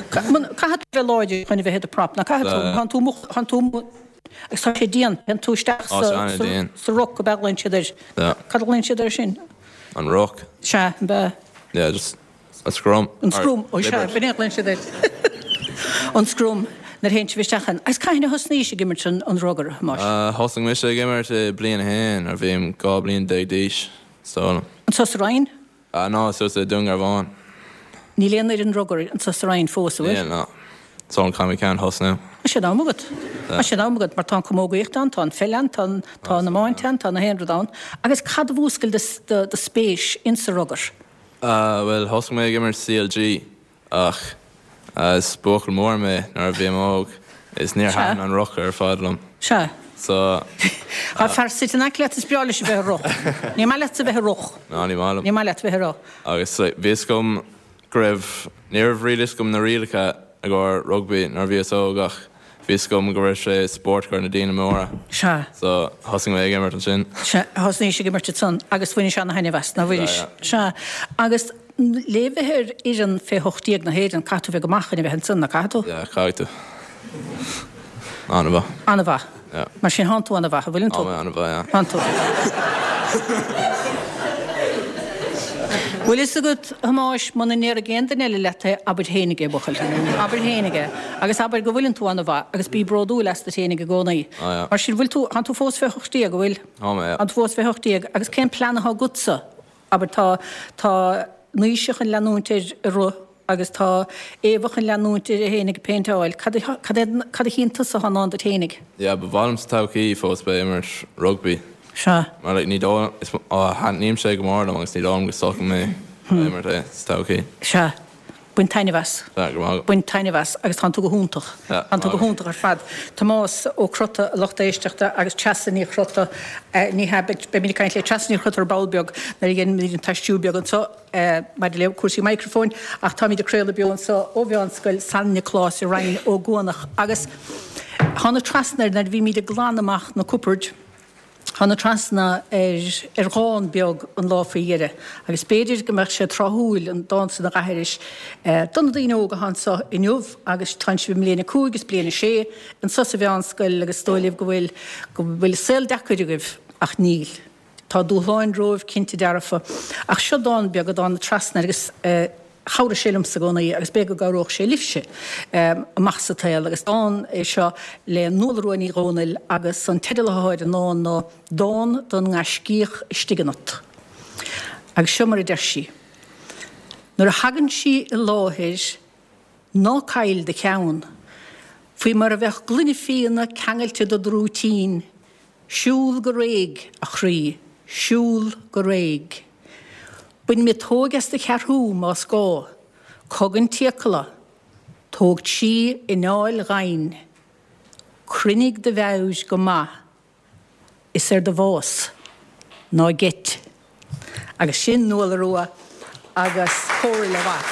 Caithfidh tú bheith láidir chun a bheith i do prop, ná caithfidh tú? Tánn tú, tánn tú, Agus tá sé dian. Téann tú isteach sa ruc, ab ea a ghlaonn siad air? Cad a ghlaonn siad air sin? An ruc. Sea, an b'ea? Yeah, just a scrum. An scrum, ó sea, b'in é a ghlaonn siad air. An scrum, nuair a théann sibh isteach ann. Agus cathain a thosnaís ag imirt an rugar, a Thomáis? Thosaigh mise ag imirt i bliain a haon, nuair a bhím 12 bliain d'aois, is dóigh liom. Anso sa Rinn? Ah no, anso i Dún Garbhán. Níl aon fhoireann rugair anso sa Rinn fós, an bhfuil? Níl, no. So caithfidh mé ceann a thosnú. Tá sé in am agat. Tá sé in am agat, mar tá an camógaíocht ann, tá an pheil ann, tá an, tá an iomáint ann, tá na haon rud ann. Agus cad a mhúscail do, do, do spéis insa rugar? Ah, bhuel, thosaigh mé ag imirt CLG Ach is buachaill mór mé nuair a bhím óg is níor thaitin an ruc ar fad liom. Sea. So. Tá fear suite in aice leat is breá leis a bheith ag rith. Ní maith leatsa a bheith ag rith. No, ní maith liom. Ní maith leat a bheith ag rith. Agus bhí fhios agam go raibh, ní raibh really fhios agam na rialacha i gcomhair rugbaí nuair a bhíos óg ach bhí fhios agam go raibh sé spórt i gcomhair na daoine móra. Sea. So thosaigh mé ag imirt ansin. Sea, thosnaís ag imirt ansan agus bhainis ana-thaitneamh as, ná bhainis? Sea. Agus le bheith ar fhoireann fé 18 na hÉireann, caithfidh tú bheith go maith chun a bheith ansan, ná caithfidh tú? Yeah, caithfidh tú. An-mhaith. An-mhaith. Yeah. Mar sin, thánn tú an-mhaith, an bhfuileann tú? Tá mé an-mhaith, yeah. Thánn tú. Bhfuil fhios agat, a Thomáis, muna ndéarfaidh aon duine eile leat é, abair fhéinig é, buachaill. Abair fhéinig é. Agus abair go bhfuileann tú an-mhaith, agus bí bródúil astat fhéinig i gcónaí. Ah, yeah. Mar sin, bhfuil tú, thánn tú fós fé 18, an bhfuil? Tá mé, yeah. Thánn tú fós fé 18. Agus cén plean athá agatsa? Abair, tá, tá Naoise chun leanúint air ag rith. agus tá Éabha chun leanúint uirthi fhéinig ag péinteáil. Cad a, cad é, cad a chíonn tusa atá i ndán duit fhéinig? Yeah, ba mhaith liom sa todhchaí fós bheith ag imirt rugbaí. Sea. Mar like ní dóigh, is, á, thaitníonn sé go mór liom agus ní dóigh liom go stopfaidh mé ag imirt é sa todhchaí. Sea. Bain taitneamh as. Sea, go raibh maith agat. Bain taitneamh as agus tánn tú go hiontach. Sea, Tánn tú go hiontach ar fad. Tomás Ó Crotta, a lucht éisteachta, agus Treasa Ní Chrotta, ní hea, beimid ag caint le Treasa Ní Chrotta ar ball beag nuair a dhéanfaimid an t-aistriú beag anseo maidir le cúrsaí micreafóin, ach táimid ag craoladh beo anseo ó Mheánscoil San Nioclás i Rinn Ó gCuanach agus thána trasna air nuair a bhímid ag glanadh amach na cupboird. Thána trasna ar dhán beag an lá faoi dheireadh agus b'fhéidir go mbeadh sé tráthúil an dán san a dh'aithris do na daoine óga atá anso inniu agus tánn sibh i mbliain 5 is bliain 6 anso sa mheánscoil agus is dóigh libh go bhfuil go bhfuil saol deacair agaibh ach níl. Tá dúshláin romhaibh cinnte dearfa ach seo dán beag a dtána trasna air agus Chabhraigh sé liomsa i gcónaí agus b'fhéidir go gcabhródh sé libhse amach sa tsaol agus dán é seo le Nuala Rua Ní Dhomhnaill agus an teideal atá ar an ndán ná 'Dán don nGaiscíoch Istigh Ionat'. Agus seo mar a deir sí, Nuair a thagann sí i láthair ná caill do cheann, faoi mar a bheadh gloine fíona ceangailte do d'rúitín, Siúl go réidh, a chroí, siúl go réidh. Bain miotóig as do cheathrú, más gá. Cogain t'fhiacla. Tóg trí anáil dhoimhin. Cruinnigh do mheabhair go maith. Is ar do bhás, ná geit. Agus sin Nuala Rua agus comhairle mhaith.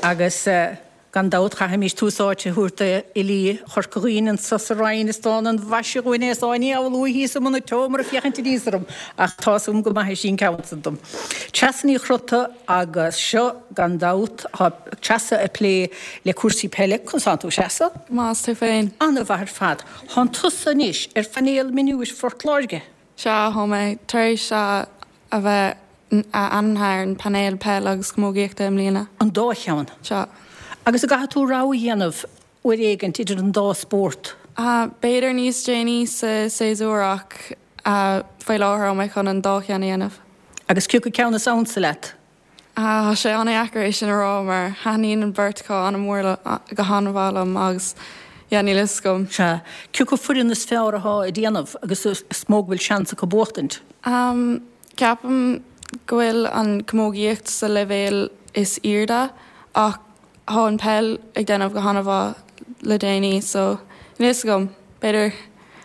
Agus. Gan dabht, chaithfimís tús áite a thabhairt d'fhilí Chorca Dhuibhne anso sa Rinn. Is dán an mhaise dhúinn é is Áine Amhlaoibh thíos i mbun an tseomra ag féachaint aníos orm ach tá's agam go maithfidh sí an ceann san dom. Treasa Ní Chrotta agus seo, gan dabht, tá Treasa ag plé le cúrsaí peile. Conas tánn tú, a Threasa? Go maith, is tú féin? An-mhaith ar fad. Tánn tusa anois ar phainéal mionúir Phort Láirge. Sea, thá mé tar éis a bheith ainmnithe ar an bpainéal peile agus camógaíochta i mbliana. An dá cheann? Sea. Agus an gcaithfidh tú rogha a dhéanamh uair éigint idir an dá spórt? B'fhéidir níos déanaí sa séasúr ach faoi láthair thá mé chun an dá cheann a dhéanamh. Agus cé acu ceann is ansa leat? Tá sé an-dheacair é sin a rá mar thaitníonn an bheirt acu an-mhór go han-mhaith liom agus yeah níl fhios agam. Sea. Cé acu foireann is fearr athá ag déanamh agus is mó go bhfuil seans acu buachtaint? Ceapaim go bhfuil an camógaíocht sa leibhéal is airde ach Thá an peil ag déanamh go han-mhaith le déanaí so níl fhios agam, b'fhéidir.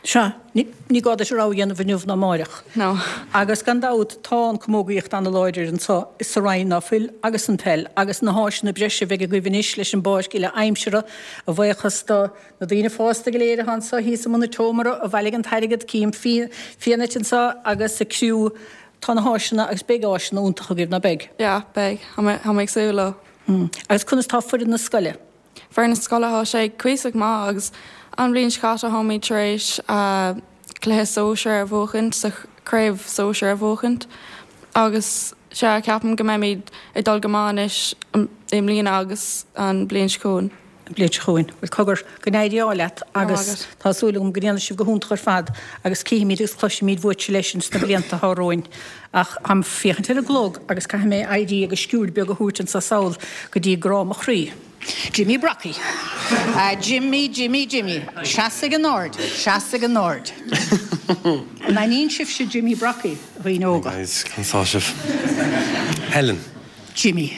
Sea, ní gá duit rogha a dhéanamh inniu ná amáireach. No. Agus gan dabht tá an camógaíocht an-láidir anso sa Rinn, ná fuil, agus an peil, agus na háiseanna breise a bheidh agaibh anois leis an bpáirc uile aimsire, a bhuíochas do na daoine fásta go léir atá anso thíos i mbun an tseomra a bhailigh an t-airgead, cím Fiadhnait anso agus a criú, tá na háiseanna agus beidh áiseanna iontacha agaibh, ná beidh? Yeah, beidh. Tá mé ag súil leo. Agus conas tá foireann na scoile? Foireann na scoile, thá sé cuíosach maith agus an bhliain seo caite tháimid tar éis cluiche sóisir a bhuachaint, sa chraobh sóisir a bhuachaint agus sea, ceapaim go mbeimid ag dul go maith anois i mbliana agus an bhliain seo chugainn. An bhliain seo chugainn. Bhuel, cogar, go n-éirí ádh leat agus tá súil agam go ndéanfaidh sibh go hiontach ar fad agus cífimid agus cloisfimid uaitse leis ins na blianta atá romhainn. Ach táim ag féachaint ar an gclog agus caithfidh mé éirí agus sciuird beag a thabhairt anso sall go dtí grá mo chroí. Jimmy Brockie. A Jimmy, Jimmy, Jimmy. Seas ag an ard, seas ag an ard. An aithníonn sibhse Jimmy Brockie, a dhaoine óga? Guys, conas tá sibh? Helen. Jimmy.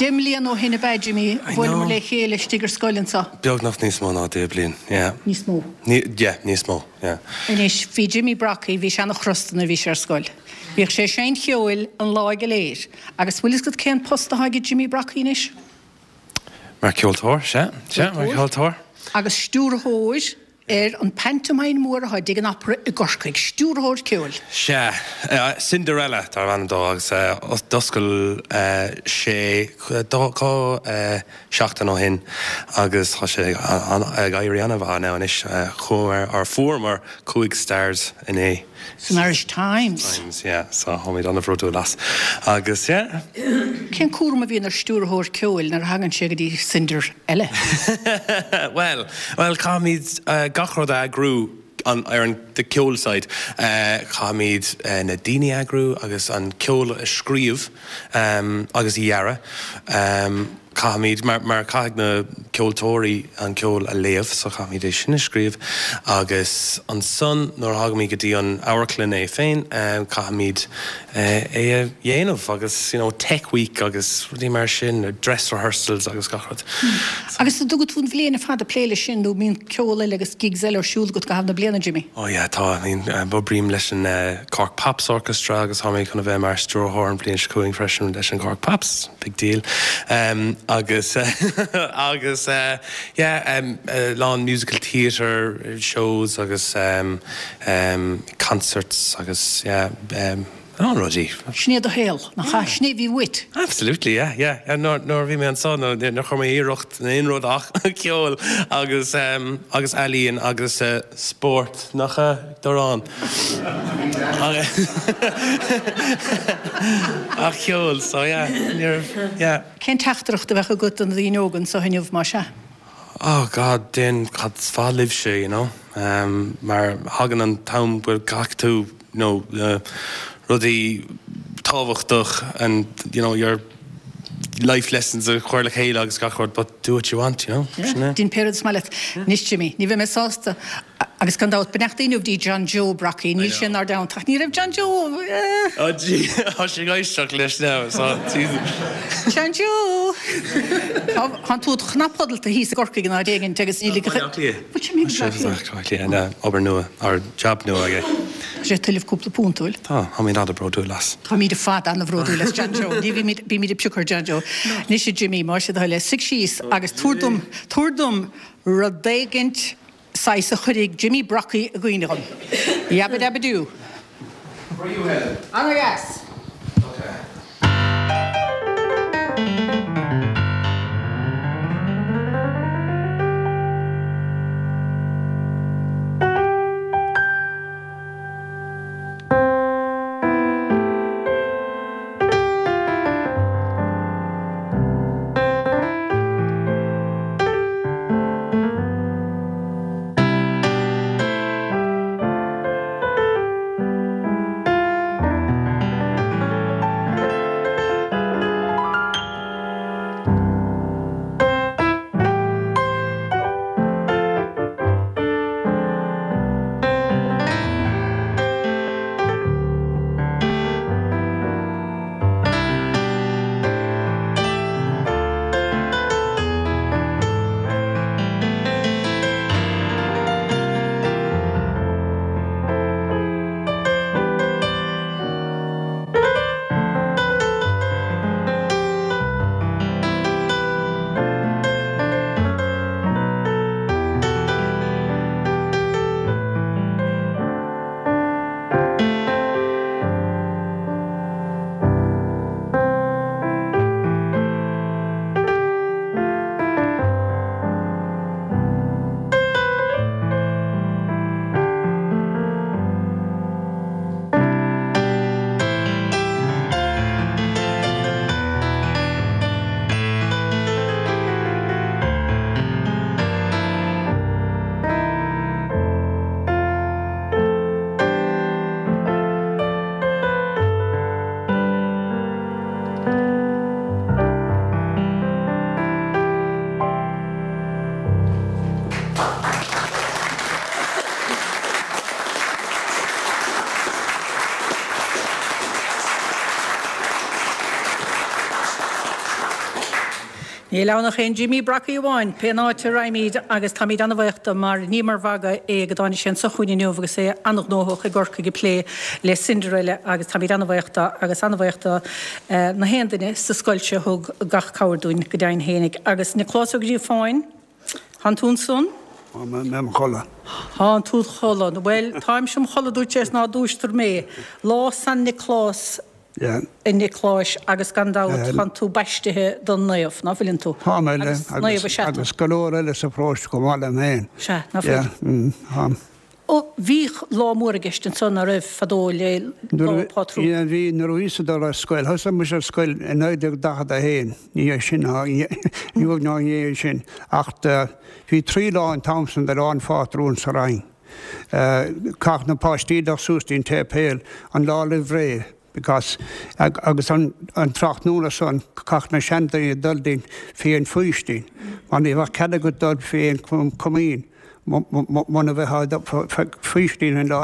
10 mbliana ó shin ab ea, Jimmy, a bhuaileamar le chéile istigh ar scoil anseo. Beagnach níos mó ná 10 bliain, yeah. Níos mó. Yeah, níos mó, yeah. Anois, bhí Jimmy Brockie, bhí sé ana-chrosta nuair a bhí sé ar scoil. Bhíodh sé ag seinnt cheoil an lá go léir. Agus bhfuil fhios agat cén post atá aige Jimmy Brockie anois? Mar ceoltóir, sea, sea, mar cheoltóir. Agus stiúrthóir ar an pantomime mór atá i dTigh an Opera i gCorcaigh, stiúrthóir ceoil. Sea, Cinderella darb ainm dó agus d'oscail sé dhá seachtain ó shin agus tá sé ag éirí an-mhaith now anois. Chuamar, or fuaireamar 5 stars inné. San Irish Times. Times, yeah, so táimid an-bhródúil as agus yeah. Cén cúram a bhíonn ar stiúrthóir ceoil nuair a thagann sé go dtí Cinderella? Bhuel, bhuel, caithfimid gach rud a eagrú an, ar an. the ceol side. Caithfimid na daoine a eagrú agus an ceol a scríobh agus a dhearadh. Caithfimid, mar, mar caithfidh na ceoltóirí an ceol a léamh so caithfimid é sin a scríobh agus ansan nuair a thagaimid go dtí an amharclann é féin caithfimid é a dhéanamh agus you know tech week agus rudaí mar sin, dress rehearsals agus gach rud. Agus an dtugann tú an bhliain ar fad ag plé leis sin nó mbíonn ceol eile agus gigs eile ar siúl agat i gcaitheamh na bliana, Jimmy? Oh yeah tá, I mean oibrím leis an Cork Pops Orchestra agus tá mé chun a bheith mar stiúrthóir an bhliain seo chugainn freisin leis an Cork Pops. Big deal. Agus agus yeah a lán musical theatre shows agus concerts agus yeah a lán rudaí. Sin é do shaol, nach ea? Sin é a bhí uait. Absolutely yeah yeah yeah nuair nuair a bhí mé anso níor chuir mé iarracht in aon rud ach ceol agus agus ealaíon agus spórt, nach ea Dorán? Ach ceol, so yeah, ní raibh, yeah. Cén teachtaireacht a bheadh agat do na daoine óga anseo inniu, más ea? Oh God, déan cad is fearr libhse, you know, mar thagann an t-am go gcaithfidh tú, you know, rudaí tábhachtach and, you know, your life lessons a chur le chéile agus gach rud but do what you want, you know, sin é. Déan pé rud is maith leat. Anois Jimmy, ní bheidh mé sásta Agus gan dabht, beannacht Dé inniu dtí John Joe Brockie, níl sé inár dteannta, ach ní raibh John Joe, eh. Oh gee, tá sé ag éisteacht leis now, so, Jesus. John Joe! Tá, tánn tú cnapshodalta thíos i gCorcaigh in áit éigint agus níl ag. Baile Átha Cliath. Bhfuil sé imithe go Baile Átha Cliath? Baile Átha Cliath, obair nua, or job nua aige. Tá sé ag tuilleamh cúpla punt, bhfuil? Tá, táimid an-bhródúil as. Táimid ar fad an-bhródúil as John Joe. Ní bhímid, bímid ag piocadh ar John Joe. Anois a Jimmy, más é do thoil é, suigh síos agus tabhair dom, tabhair dom rud éigint saghas a chuirfidh Jimmy Brockie i gcuimhne dhom. Yabba dabba doo. For you, Helen. Ana-dheas! Okay. Níl ann ach aon Jimmy Brockie amháin, pén áit a raghaimid agus táimid an-bhaoch do mar ní mar mhagadh é go dtáinig sé anso chugainn inniu agus é an-ghnóthach i gCorcaigh ag plé le Cinderella agus táimid an-bhaoch do agus an-bhaoch do na haon duine sa scoil seo a thug gach cabhair dúinn go deimhin fhéinig. Agus Nioclás Ó Gríofáin, thánn tú ansan? Tá mé im chodladh. Thánn tú id chodladh. Bhuel, táimse im chodladh dúirt sé is ná dúistear mé. Lá San Nioclás a Niocláis agus gan dabht tánn tú baistithe don naomh, ná fuileann tú? Tá mé, le, agus naomh is ea tú. Agus go leor eile sa pharóiste chomh maith liom féin. Sea, ná fuil? Tá. Ó, bhíodh lá mór i gceist ansan, ná raibh, fadó le Lá Pátrún? Bhí, bhí, nuair a bhíos ag dul ar scoil, thosaigh mise ar scoil i 1941, ní hé sin ná inniu ná inné sin, ach bhí trí lá an t-am san de Lá an Phátrúin sa Rinn. Chaithfeadh na páistí dul suas dtí'n tséipéal an lá roimh ré because agus an tráthnóna san chaithfeadh na seandaoine dul dtí'n fé an faoistin mar ní bheadh cead agat dul fé an chomaoin muna mbeifeá faoistin an lá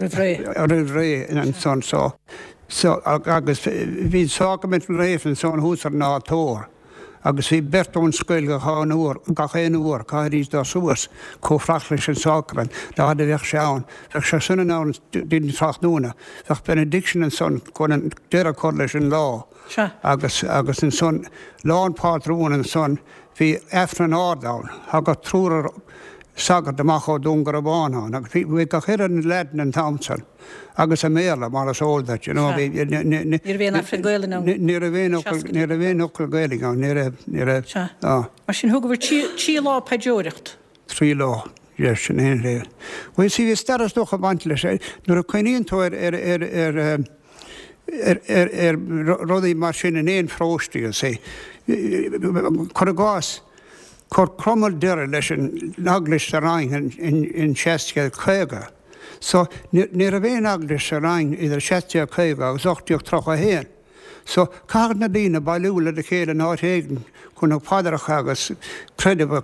roimh ré ansan so so agus bhí an sácaimint naofa ansan thuas ar an altóir. Agus bhí beirt ón scoil gach aon uair, gach aon uair, caithfidís dul suas chomh fada leis an sácraimint, dá fhad a bheadh sé ann. Bheadh sé san ann dtí'n tráthnóna. Bheadh benediction ansan chun an deireadh a chur leis an lá. Agus, agus ansan, lá an phátrúin ansan, bhí Aifreann ard ann. Thagadh triúr sagart amach ó Dún Garbhán ann agus bhí, bhí gach uile leaid an t-am san. Agus i mBéarla, mar is eol duit, you know, bhí, ní raibh aon Aifreann Gaelainn ann. Ní raibh aon fhocal, ní raibh aon fhocal Gaeilge ann, ní raibh, ní raibh, Sea. Mar sin thugabhair trí lá paidreoireacht. 3 lá, yes, sin é an léir. Bhuel, see, bhí stair is dócha ag baint leis. Nuair a cuimhníonn tú ar, ar, ar, ar, ar, ar, ar rudaí mar sin in aon pharóiste, you see, cuir i gcás, chuir Cromail deireadh leis an eaglais sa Rinn in, in 1650. So, ní raibh aon eaglais sa Rinn idir 1750 agus 1831. So, chaithfeadh na daoine bailiú le chéile in áit éigin chun na paidreacha agus creideamh a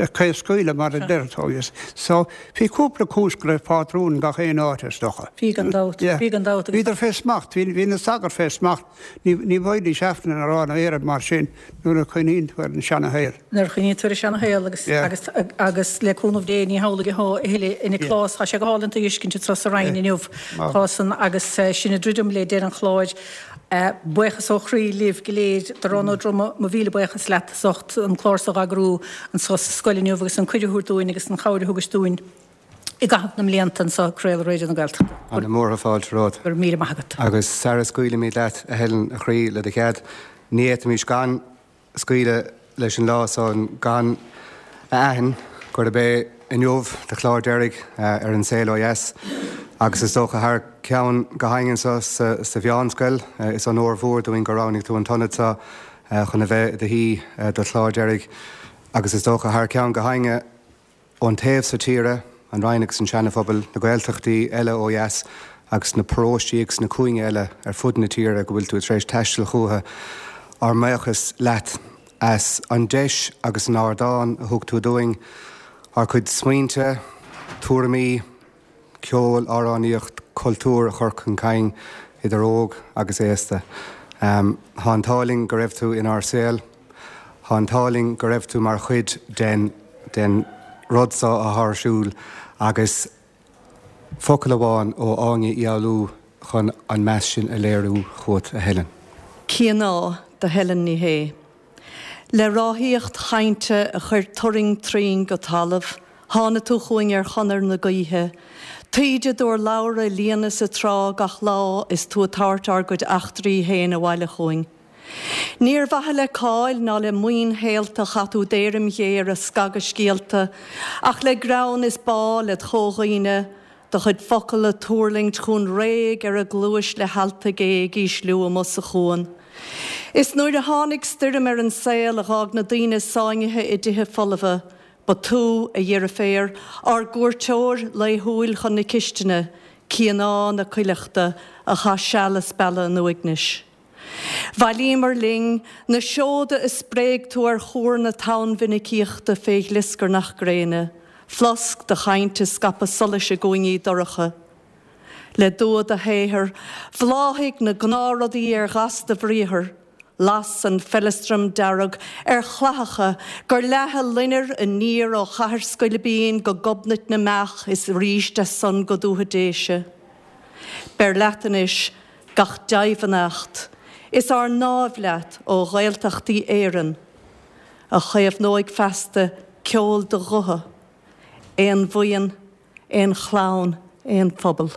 chraobhscaoileadh mar a deir tú. So, bhí cúpla cúis go raibh pátrún gach aon áit is dócha. Bhí gan dabht. Bhí gan dabht. Bhíodar fé smacht. Bhí na sagairt fé smacht. Ní bhfaighidís Aifreann a rá nó aon rud mar sin nuair a chuimhníonn tú ar an seana-shaol. Nuair a chuimhníonn tú ar an seana-shaol agus, agus, agus le cúnamh Dé ní hamhlaidh atá a thuilleadh a Niocláis. Tá sé go hálainn tú a fheiscint anseo sa Rinn inniu. Tá san agus sinn ag druidim le deireadh an chláir. Buíochas ó chroí libh go léir. Darán Ó Droma, mo mhíle buíochas leat as ucht an clár so a eagrú anseo sa scoil inniu agus an cuireadh a thabhairt dúinn agus an chabhair a thugais dúinn. i gcaitheamh na mblianta anseo ag craoladh Raidió na Gaeltachta. Ana mhór fáilte romhat. Go raibh míle maith agat. Agus sara scaoilimid leat, a Helen, a chroí, le do chead, ní fhéadfaimis gan scaoileadh leis an lá so gan a aithint gurb é inniu do chlár deiridh ar An Saol Ó Dheas agus is dócha thar ceann gach éinne anseo sa mheánscoil, is onóir mhór dúinn gur roghnaigh tú an t-ionad so chun a bheith i do shuí do chlár deiridh agus is dócha thar ceann gach éinne Ón taobh so tíre, an Rinn agus an Seana-Phobal, na Gaeltachtaí eile ó dheas agus na paróistí agus na cúinge eile ar fud na tíre go bhfuil tú tar éis taisteal chúthu, ár mbuíochas leat as an deis agus an ardán a thug tú dúinn ár gcuid smaointe, tuairimí, ceol, amhránaíocht, cultúr a chur chun cinn idir óg agus aosta. Tá an t-ádh linn go raibh tú inár saol. Tá an t-ádh linn go raibh tú mar chuid den den rud seo atá ar siúl agus focal amháin ó Áine Uí Fhoghlú chun an meas sin a léiriú chugat, a Helen. Cianá do Helen Ní Shé. Le ráthaíocht chainte a chuir turraing troim go talamh, thána tú chugainn ar chonair na gaoithe, taoide d'urlabhra a líonadh sa trá gach lá is tú ag tabhairt ár gcuid eachtraí féin abhaile chugainn. Ní ar mhaithe le cáil ná le maoin shaolta a chaith tú d'éirim ghéar ag scagadh scéalta, ach le greann is bá led chomhdhaoine, Do chuid focal ag tuirlingt chugainn réidh ar an gcluais le healta gé ag ísliú amuigh sa chuan. Is nuair a tháinig stoirm ar an saol a dh'fhág na daoine sáinnithe i dtithe folmha, ba tú, a dheirféar, ár gcuairteoir laethúil chun na cistine, Cianá na cuileachta, a chaith seal ag spealadh an uaignis. Bhailíomar linn na seoda a spréigh tú ar chuar na tonnmhinicíochta fé ghlioscarnach gréine, flosc do chainte ag scaipeadh solais i gcúinní dorcha. Le dua do shaothair, bhláthaigh na gnáthrudaí ar ghas do bhriathair, las an feileastram dearg ar chlathacha gur leath a loinnir aniar ó Chathair Scoilbín go Gobnait na mBeach is arís as san go Dúiche Déise. Beir leat anois gach dea-bheannacht is ár ndáimh leat ó Ghaeltachtaí Éireann, a chaomhnóidh feasta ceol do ghutha, aon bhuíon, aon chlann, aon phobal.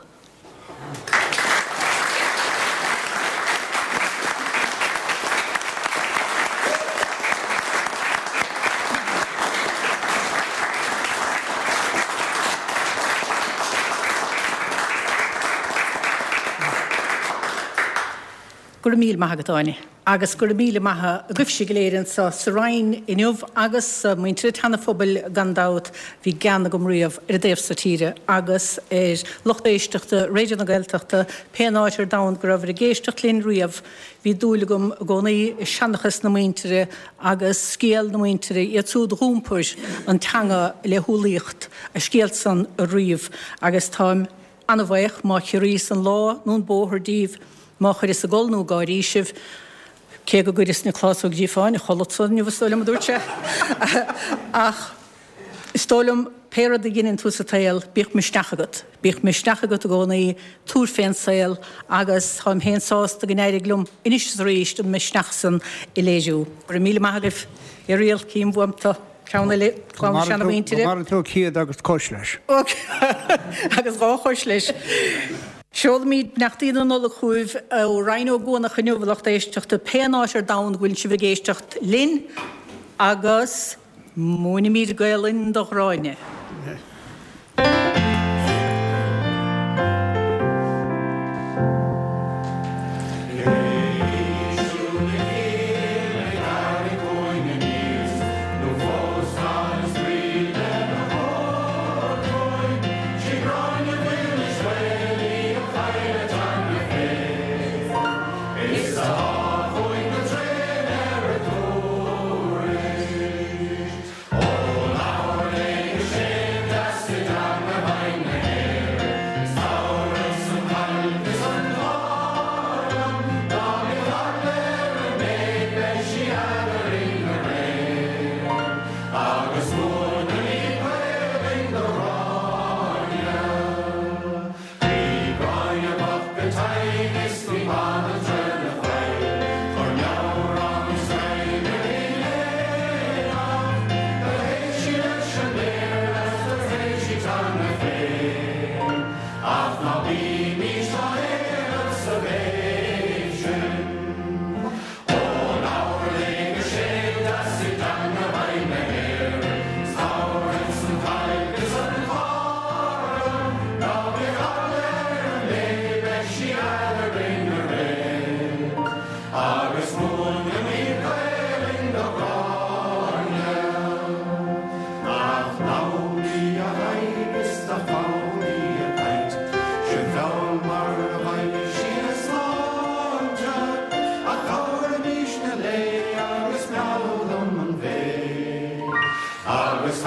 Go. Go raibh míle maith agat, Áine. Agus go raibh míle maith agaibhse go léir anseo sa Rinn inniu agus muintir an tSeana-Phobail gan dabht. Bhí gean agam riamh ar an dtaobh so tíre agus ar lucht éisteachta Raidió na Gaeltachta pén áit ar domhan go rabhabhair ag éisteacht linn riamh. Bhí dúil agam i gcónaí i seanchas na muintire agus scéal na muintire, iad siúd a dh'iompair an teanga le humhlaíocht, a scéal san a ríomh agus táim An-bhaoch má chiorraíos an lá nó an bóthar díbh, má chuireas ag gol nó ag gáirí sibh, cé go gcuireas na clásóg díbh féin a chodladh inniu, is dóigh liom, a dúirt sé. Ach is dóigh liom, pé rud a dheineann tú sa tsaol, bíodh misneach agat. Bíodh misneach agat i gcónaí, tabhair fén saol agus táim féin sásta go n-éirigh liom anois is arís an misneach san a léiriú. Go raibh míle maith agaibh. Irial, cím uaim tú. Ceann eile, clann na seanamhuintire. Go mara tú céad agus cois leis. Agus dhá chois leis. Seolaimid beannachtaí na Nollag chugaibh ó Rinn Ó gCuanach inniu, a lucht éisteachta, pé áit ar domhan go bhfuil sibh ag éisteacht linn, agus múinimid Gaelainn do Ghráinne. Agus